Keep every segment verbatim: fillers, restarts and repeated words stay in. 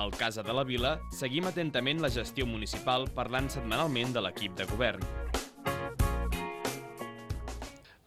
Al Casa de la Vila seguim atentament la gestió municipal parlant setmanalment de l'equip de govern.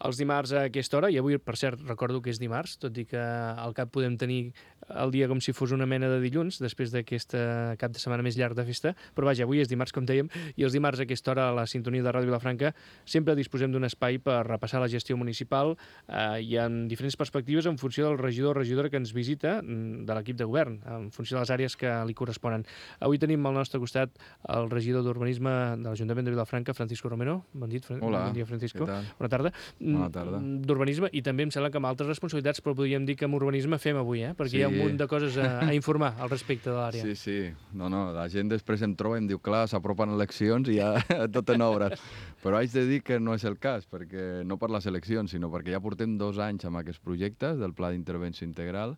Els dimarts a aquesta hora, i avui, per cert, recordo que és dimarts, tot i que al cap podem tenir el dia com si fos una mena de dilluns, després d'aquest cap de setmana més llarg de festa, però vaja, avui és dimarts, com dèiem, i els dimarts a aquesta hora a la sintonia de Ràdio Vilafranca sempre disposem d'un espai per repassar la gestió municipal eh, i en diferents perspectives en funció del regidor o regidora que ens visita de l'equip de govern, en funció de les àrees que li corresponen. Avui tenim al nostre costat el regidor d'Urbanisme de l'Ajuntament de Vilafranca, Francisco Romero. Bon dit, Fran... Hola, bon dia, Francisco. Què tal? Bona tarda. Bona tarda. D'urbanisme, i també em sembla que amb altres responsabilitats, però podríem dir que amb urbanisme fem avui, eh? Perquè sí. Hi ha un munt de coses a, a informar al respecte de l'àrea. Sí, sí. No, no, la gent després em troba i em diu, clar, s'apropen eleccions i ja tot en obres. Però haig de dir que no és el cas, perquè no per les eleccions, sinó perquè ja portem dos anys amb aquests projectes del Pla d'Intervenció Integral.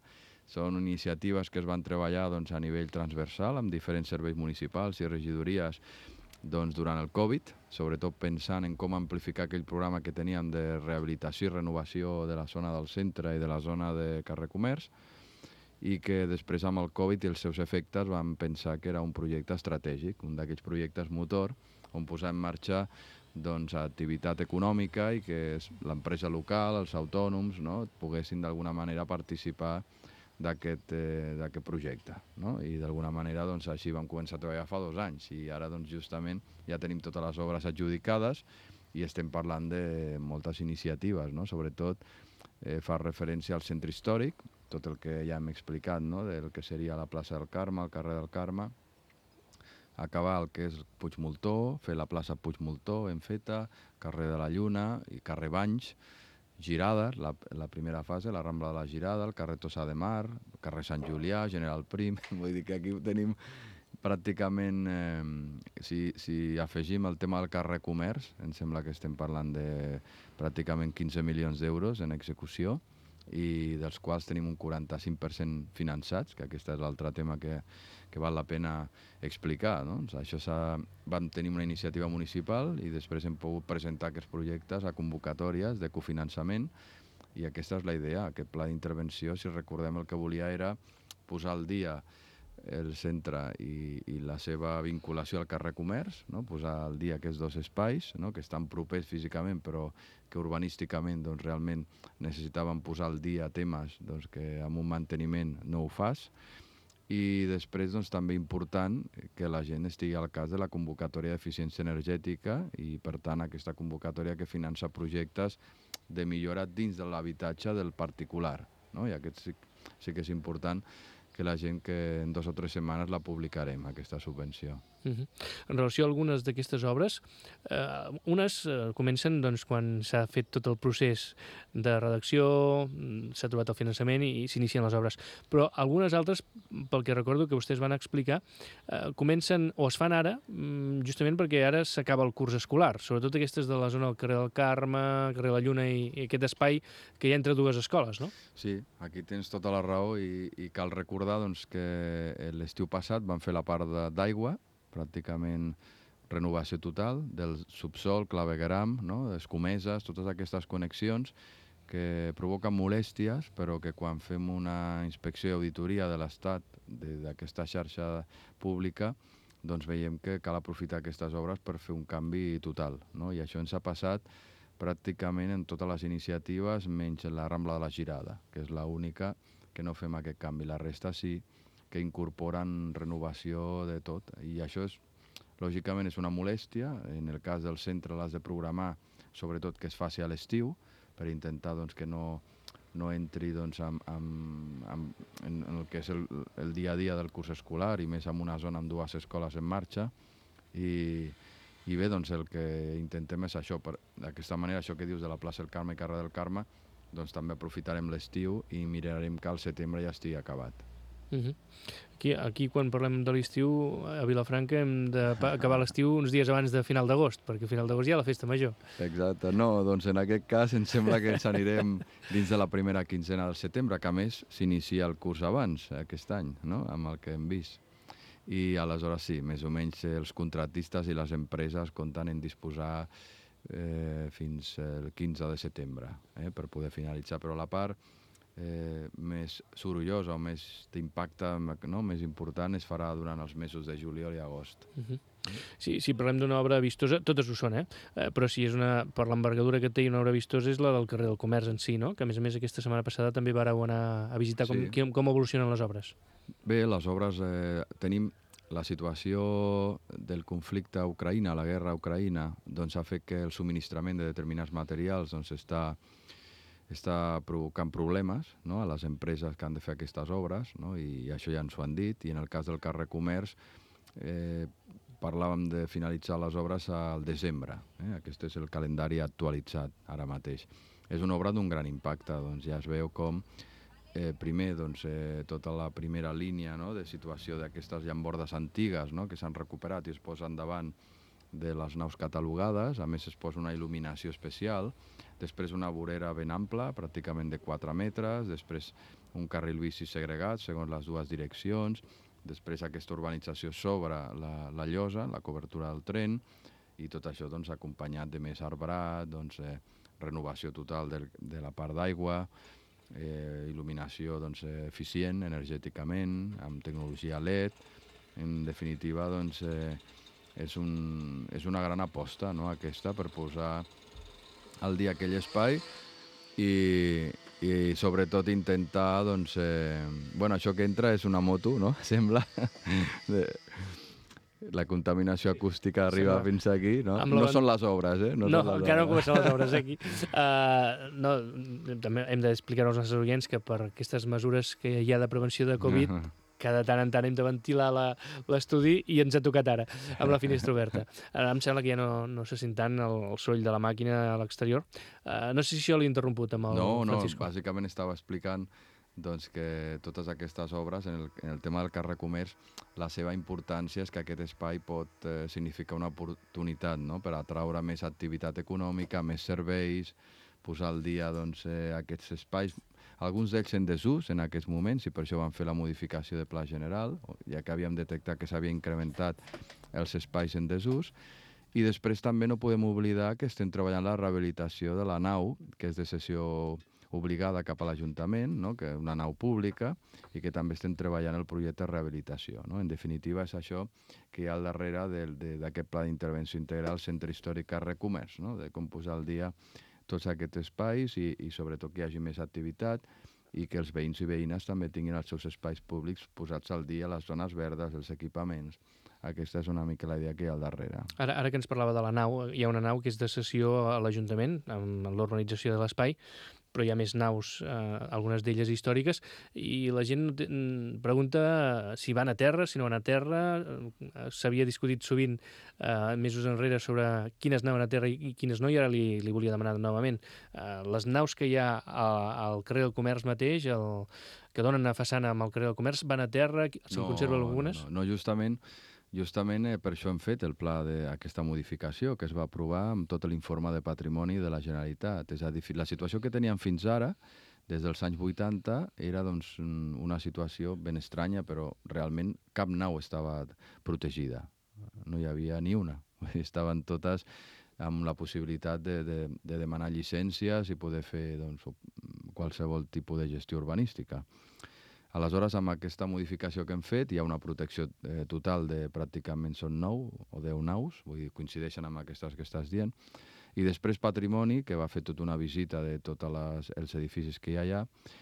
Són iniciatives que es van treballar doncs, a nivell transversal amb diferents serveis municipals i regidories doncs, durant el Covid, sobretot pensant en com amplificar aquell programa que teníem de rehabilitació i renovació de la zona del centre i de la zona de carrer Comerç, i que després amb el Covid i els seus efectes vam pensar que era un projecte estratègic, un d'aquells projectes motor on posar en marxa doncs, activitat econòmica i que l'empresa local, els autònoms, no, poguessin d'alguna manera participar d'aquest eh, projecte. No? I d'alguna manera doncs, així vam començar a treballar fa dos anys i ara doncs, justament ja tenim totes les obres adjudicades i estem parlant de moltes iniciatives, no? Sobretot eh, fa referència al centre històric, tot el que ja hem explicat, no? Del que seria la plaça del Carme, el carrer del Carme, acabar el que és Puigmoltó, fer la plaça Puigmoltó en feta, carrer de la Lluna i carrer Banys, Girades, la, la primera fase, la Rambla de la Girada, el carrer Tossà de Mar, el carrer Sant Julià, General Prim, vull dir que aquí tenim pràcticament, eh, si, si afegim el tema del carrer Comerç, em sembla que estem parlant de pràcticament quinze milions d'euros en execució, i dels quals tenim un quaranta-cinc per cent finançats, que aquest és l'altre tema que, que val la pena explicar. No? Això vam tenir una iniciativa municipal i després hem pogut presentar aquests projectes a convocatòries de cofinançament i aquesta és la idea. Aquest pla d'intervenció, si recordem, el que volia era posar al dia el centre i, i la seva vinculació al carrer Comerç, no? Posar al dia aquests dos espais, no? Que estan propers físicament però que urbanísticament doncs, realment necessitaven posar al dia temes doncs, que amb un manteniment no ho fas, i després doncs, també important que la gent estigui al cas de la convocatòria d'eficiència energètica i per tant aquesta convocatòria que finança projectes de millora dins de l'habitatge del particular, no? I aquest sí, sí que és important que la gent que en dos o tres setmanes la publicarem, aquesta subvenció. Uh-huh. En relació a algunes d'aquestes obres, eh, unes eh, comencen doncs, quan s'ha fet tot el procés de redacció, s'ha trobat el finançament i, i s'inicien les obres. Però algunes altres, pel que recordo que vostès van explicar, eh, comencen o es fan ara, justament perquè ara s'acaba el curs escolar, sobretot aquestes de la zona del carrer del Carme, carrer la Lluna i, i aquest espai que hi ha entre dues escoles, no? Sí, aquí tens tota la raó i, i cal recordar doncs, que l'estiu passat van fer la part d'aigua, pràcticament renovació total del subsol, clavegueram, no? Escomeses, totes aquestes connexions que provoquen molèsties, però que quan fem una inspecció i auditoria de l'estat d'aquesta xarxa pública, doncs veiem que cal aprofitar aquestes obres per fer un canvi total, no? I això ens ha passat pràcticament en totes les iniciatives, menys la Rambla de la Girada, que és l'única que no fem aquest canvi. La resta sí que incorporen renovació de tot. I això, és, lògicament, és una molèstia. En el cas del centre l'has de programar, sobretot que es faci a l'estiu, per intentar doncs, que no, no entri doncs, amb, amb, amb, en el que és el, el dia a dia del curs escolar, i més en una zona amb dues escoles en marxa. I, i bé, doncs, el que intentem és això. D'aquesta manera, això que dius de la plaça del Carme i carrer del Carme, doncs també aprofitarem l'estiu i mirarem que al setembre ja estigui acabat. Uh-huh. Aquí, aquí quan parlem de l'estiu a Vilafranca hem d'acabar l'estiu uns dies abans de final d'agost, perquè a final d'agost hi ha la festa major. Exacte, no, doncs en aquest cas em sembla que ens anirem dins de la primera quinzena del setembre, que a més s'inicia el curs abans aquest any, no? Amb el que hem vist. I aleshores sí, més o menys els contractistes i les empreses compten en disposar eh, fins el quinze de setembre eh, per poder finalitzar, però la part eh, més sorollosa o més d'impacte, no? més important es farà durant els mesos de juliol i agost. Uh -huh. Sí, si parlem d'una obra vistosa, totes ho són, eh? eh però si és una, per l'envergadura que té una obra vistosa és la del carrer del Comerç en si, no? Que a més a més aquesta setmana passada també vareu anar a visitar com, Sí. com, com evolucionen les obres. Bé, les obres, eh, tenim la situació del conflicte a Ucraïna, la guerra a Ucraïna, doncs ha fet que el subministrament de determinats materials doncs, està, està provocant problemes, no?, a les empreses que han de fer aquestes obres, no?, i això ja ens ho han dit, i en el cas del carrer Comerç eh, parlàvem de finalitzar les obres al desembre. Eh? Aquest és el calendari actualitzat ara mateix. És una obra d'un gran impacte, doncs ja es veu com Eh, primer, doncs, eh, tota la primera línia, no?, de situació d'aquestes llambordes antigues, no?, que s'han recuperat i es posen davant de les naus catalogades. A més, es posa una il·luminació especial. Després una vorera ben ampla, pràcticament de quatre metres. Després un carril bici segregat, segons les dues direccions. Després aquesta urbanització sobre la, la llosa, la cobertura del tren. I tot això doncs, acompanyat de més arbrat, doncs, eh, renovació total de, de la part d'aigua, Eh, il·luminació doncs, eficient energèticament, amb tecnologia L E D. En definitiva, doncs, eh, és, un, és una gran aposta, no?, aquesta, per posar al dia aquell espai i, i sobretot intentar, doncs, eh, bueno, això que entra és una moto, no?, sembla, de, la contaminació acústica arriba Sembla. fins aquí, no? No són les obres, eh? No, no encara no comencen les obres aquí. Uh, no, també hem d'explicar als nostres oients que per aquestes mesures que hi ha de prevenció de Covid, uh -huh. cada tant en tant hem de ventilar l'estudi i ens ha tocat ara, amb la finestra oberta. Ara em sembla que ja no, no se sent tant el, el soroll de la màquina a l'exterior. Uh, no sé si això l'he interromput amb el no, Francisco. No, bàsicament estava explicant doncs que totes aquestes obres, en el, en el tema del carrer Comerç, la seva importància és que aquest espai pot eh, significar una oportunitat, no?, per atraure més activitat econòmica, més serveis, posar al dia doncs, eh, aquests espais, alguns d'ells en desús en aquests moments, i per això van fer la modificació de pla general, ja que havíem detectat que s'havia incrementat els espais en desús. I després també no podem oblidar que estem treballant la rehabilitació de la nau, que és de cessió obligada cap a l'Ajuntament, no?, que és una nau pública, i que també estem treballant el projecte de rehabilitació, no? En definitiva, és això que hi ha al darrere d'aquest pla d'intervenció integral Centre Històric Carrer Comerç, no?, de com posar al dia tots aquests espais i, i sobretot que hi hagi més activitat i que els veïns i veïnes també tinguin els seus espais públics posats al dia, les zones verdes, els equipaments. Aquesta és una mica la idea que hi ha al darrere. Ara, ara que ens parlava de la nau, hi ha una nau que és de cessió a l'Ajuntament, amb l'urbanització de l'espai, però hi ha més naus, eh, algunes d'elles històriques, i la gent pregunta si van a terra, si no van a terra. S'havia discutit sovint eh, mesos enrere sobre quines anaven a terra i quines no, i ara li, li volia demanar novament. Eh, les naus que hi ha a, al carrer del Comerç mateix, el, que donen a façana amb el carrer del Comerç, van a terra? Se'n no, conserven algunes? No, no, no justament... Justament eh, per això hem fet el pla d'aquesta modificació que es va aprovar amb tot l'informe de patrimoni de la Generalitat. És a dir, la situació que teníem fins ara, des dels anys vuitanta, era doncs, una situació ben estranya, però realment cap nau estava protegida. No hi havia ni una. Estaven totes amb la possibilitat de, de, de demanar llicències i poder fer doncs, qualsevol tipus de gestió urbanística. Aleshores, amb aquesta modificació que hem fet, hi ha una protecció eh, total de pràcticament són nou o deu naus, vull dir, coincideixen amb aquestes que estàs dient, i després Patrimoni, que va fer tota una visita de tots els edificis que hi ha allà.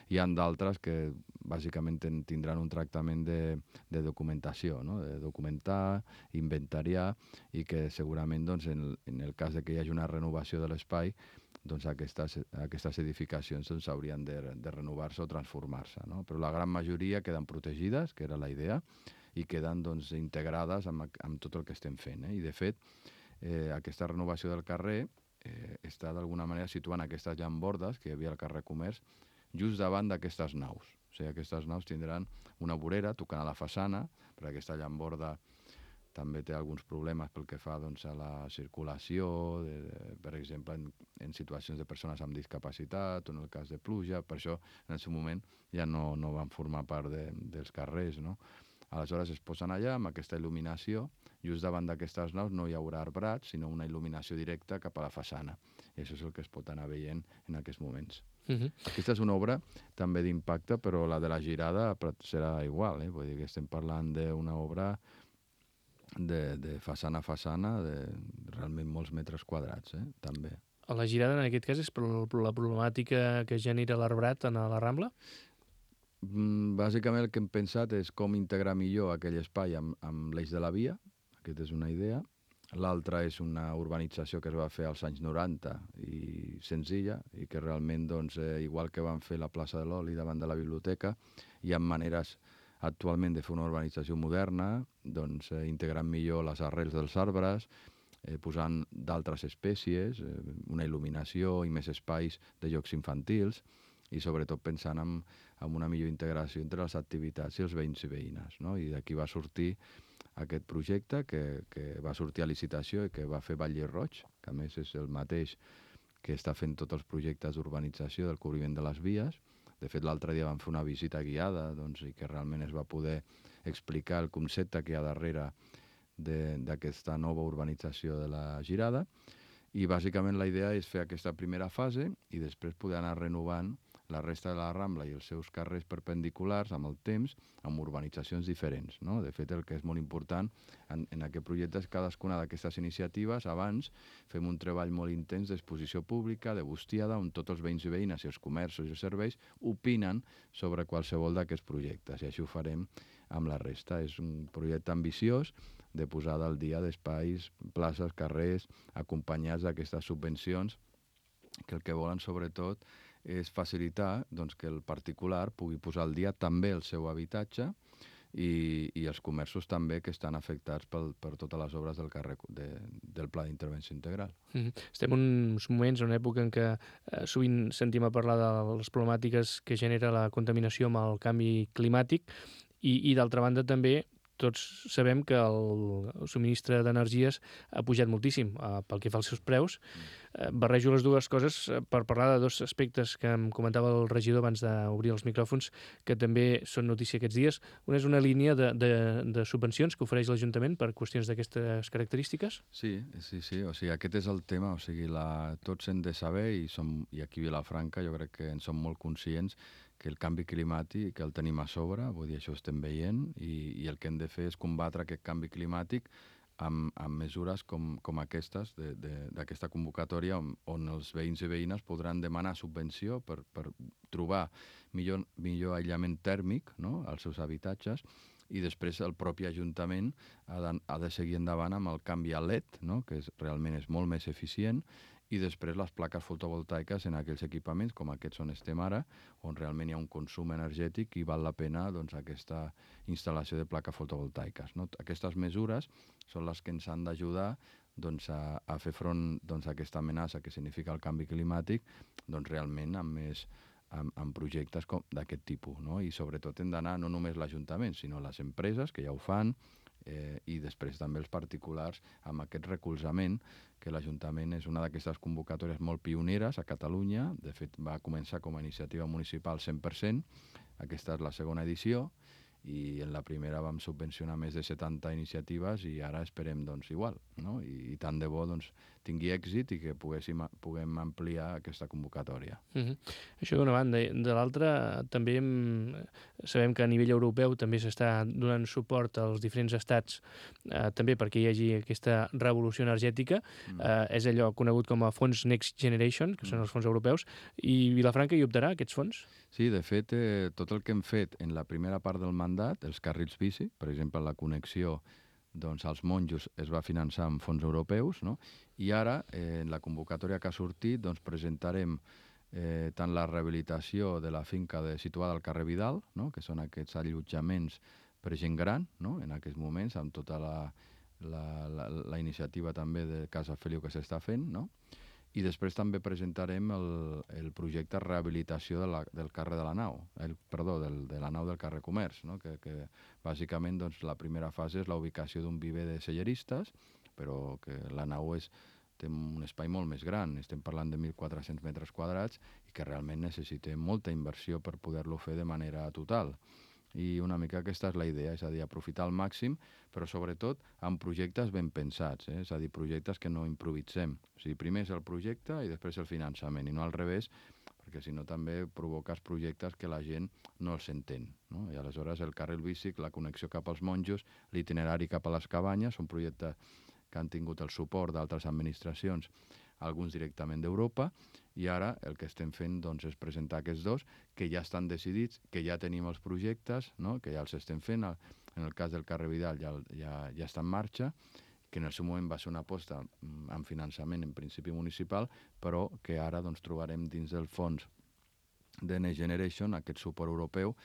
Hi ha d'altres que bàsicament ten, tindran un tractament de, de documentació, no?, de documentar, inventariar, i que segurament doncs, en, en el cas de que hi hagi una renovació de l'espai, doncs aquestes, aquestes edificacions doncs, haurien de, de renovar-se o transformar-se, no? Però la gran majoria queden protegides, que era la idea, i queden doncs, integrades amb, amb tot el que estem fent. Eh? I de fet, eh, aquesta renovació del carrer eh, està d'alguna manera situant aquestes llambordes que hi havia al carrer Comerç just davant d'aquestes naus. O sigui, aquestes naus tindran una vorera tocant a la façana, perquè aquesta llamborda també té alguns problemes pel que fa doncs, a la circulació, de, de, per exemple, en, en situacions de persones amb discapacitat o en el cas de pluja. Per això, en el seu moment, ja no, no van formar part de, dels carrers, no? Aleshores es posen allà amb aquesta il·luminació. Just davant d'aquestes naus no hi haurà arbrats, sinó una il·luminació directa cap a la façana. I això és el que es pot anar veient en aquests moments. Uh -huh. Aquesta és una obra també d'impacte, però la de la girada serà igual, eh? Vull dir que estem parlant d'una obra de, de façana a façana, de realment molts metres quadrats, eh? També. La girada, en aquest cas, és per la problemàtica que genera l'arbrat a la Rambla? Mm, bàsicament el que hem pensat és com integrar millor aquell espai amb, amb l'eix de la via, aquesta és una idea. L'altra és una urbanització que es va fer als anys noranta i senzilla, i que realment, doncs, eh, igual que van fer la plaça de l'Oli davant de la biblioteca, hi ha maneres actualment de fer una urbanització moderna, doncs, eh, integrant millor les arrels dels arbres, eh, posant d'altres espècies, eh, una il·luminació i més espais de jocs infantils, i sobretot pensant en, en una millor integració entre les activitats i els veïns i veïnes, no? I d'aquí va sortir aquest projecte que, que va sortir a licitació i que va fer Batlle Roig, que a més és el mateix que està fent tots els projectes d'urbanització del cobriment de les vies. De fet, l'altre dia vam fer una visita guiada, doncs, i que realment es va poder explicar el concepte que hi ha darrere d'aquesta nova urbanització de la Girada, i bàsicament la idea és fer aquesta primera fase i després poder anar renovant la resta de la Rambla i els seus carrers perpendiculars amb el temps, amb urbanitzacions diferents, no? De fet, el que és molt important en, en aquest projecte és cadascuna d'aquestes iniciatives, abans fem un treball molt intens d'exposició pública, de bustiada, on tots els veïns i veïnes i els comerços i els serveis opinen sobre qualsevol d'aquests projectes, i així ho farem amb la resta. És un projecte ambiciós de posada al dia d'espais, places, carrers, acompanyats d'aquestes subvencions, que el que volen sobretot és facilitar, doncs, que el particular pugui posar al dia també el seu habitatge i, i els comerços també que estan afectats pel, per totes les obres del, carrer, de, del Pla d'Intervenció Integral. Mm-hmm. Estem en uns moments, en una època en què eh, sovint sentim a parlar de les problemàtiques que genera la contaminació amb el canvi climàtic i, i d'altra banda també tots sabem que el, el subministre d'energies ha pujat moltíssim eh, pel que fa als seus preus. Eh, barrejo les dues coses eh, per parlar de dos aspectes que em comentava el regidor abans d'obrir els micròfons, que també són notícia aquests dies. Una és una línia de, de, de subvencions que ofereix l'Ajuntament per qüestions d'aquestes característiques. Sí, sí, sí. O sigui, aquest és el tema. O sigui, la, tots hem de saber, i, som, i aquí a Vilafranca jo crec que en som molt conscients, que el canvi climàtic el tenim a sobre, vull dir, això ho estem veient, i, i el que hem de fer és combatre aquest canvi climàtic amb, amb mesures com, com aquestes, d'aquesta convocatòria, on, on els veïns i veïnes podran demanar subvenció per, per trobar millor, millor aïllament tèrmic, no?, als seus habitatges, i després el propi Ajuntament ha de, ha de seguir endavant amb el canvi a L E D, no?, que és, realment és molt més eficient, i després les plaques fotovoltaiques en aquells equipaments com aquests on estem ara, on realment hi ha un consum energètic i val la pena, doncs, aquesta instal·lació de plaques fotovoltaiques, no? Aquestes mesures són les que ens han d'ajudar, doncs, a, a fer front, doncs, a aquesta amenaça que significa el canvi climàtic, doncs, realment amb més amb, amb projectes d'aquest tipus, no? I sobretot hem d'anar no només l'Ajuntament, sinó les empreses, que ja ho fan, Eh, i després també els particulars amb aquest recolzament, que l'Ajuntament és una d'aquestes convocatòries molt pioneres a Catalunya. De fet, va començar com a iniciativa municipal cent per cent, aquesta és la segona edició, i en la primera vam subvencionar més de setanta iniciatives i ara esperem, doncs, igual, no? I, i tant de bo, doncs, tingui èxit i que poguéssim, puguem ampliar aquesta convocatòria. Mm-hmm. Això d'una banda. De l'altra, també hem, sabem que a nivell europeu també s'està donant suport als diferents estats, eh, també perquè hi hagi aquesta revolució energètica. Mm. Eh, és allò conegut com a fons Next Generation, que mm. són els fons europeus, i Vilafranca hi optarà, aquests fons? Sí, de fet, eh, tot el que hem fet en la primera part del mandat, els carrils bici, per exemple, la connexió, doncs, als monjos es va finançar amb fons europeus, no? I ara, eh, en la convocatòria que ha sortit, doncs, presentarem eh, tant la rehabilitació de la finca de, situada al carrer Vidal, no?, que són aquests allotjaments per gent gran, no?, en aquests moments, amb tota la, la, la, la iniciativa també de Casa Feliu que s'està fent, no?, i després també presentarem el, el projecte de rehabilitació de la, del carrer de la Nau, el, perdó, del, de la Nau del carrer Comerç, no?, que, que bàsicament, doncs, la primera fase és la ubicació d'un viver de selleristes, però que la Nau és, té un espai molt més gran, estem parlant de mil quatre-cents metres quadrats, i que realment necessitem molta inversió per poder-lo fer de manera total. I una mica aquesta és la idea, és a dir, aprofitar al màxim, però sobretot amb projectes ben pensats, eh? És a dir, projectes que no improvisem. O sigui, primer és el projecte i després el finançament, i no al revés, perquè si no també provoques projectes que la gent no els entén, no? I aleshores el carril bici, la connexió cap als monjos, l'itinerari cap a les cabanyes, són projectes que han tingut el suport d'altres administracions, alguns directament d'Europa, i ara el que estem fent doncs, és presentar aquests dos, que ja estan decidits, que ja tenim els projectes, no? Que ja els estem fent. En el cas del carrer Vidal ja, ja, ja està en marxa, que en el seu moment va ser una aposta amb finançament en principi municipal, però que ara doncs, trobarem dins del fons de Next Generation aquest suport europeu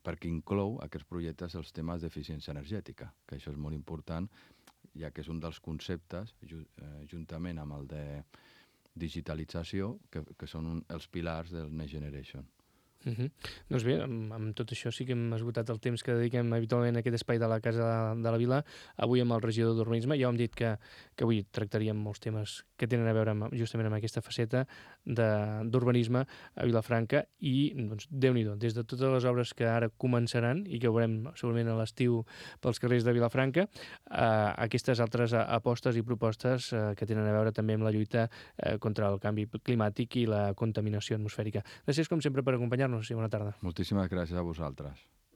perquè inclou aquests projectes els temes d'eficiència energètica, que això és molt important, ja que és un dels conceptes, juntament amb el de digitalització, que, que són un, els pilars del Next Generation. Uh -huh. Doncs bé, amb, amb tot això sí que hem esgotat el temps que dediquem habitualment a aquest espai de la Casa de la Vila. Avui amb el regidor d'Urbanisme ja hem dit que, que avui tractaríem molts temes que tenen a veure amb, justament amb aquesta faceta d'urbanisme a Vilafranca i, doncs, Déu-n'hi-do, des de totes les obres que ara començaran i que veurem segurament a l'estiu pels carrers de Vilafranca, eh, aquestes altres apostes i propostes eh, que tenen a veure també amb la lluita eh, contra el canvi climàtic i la contaminació atmosfèrica. Gràcies, com sempre, per acompanyar-nos i bona tarda. Moltíssimes gràcies a vosaltres.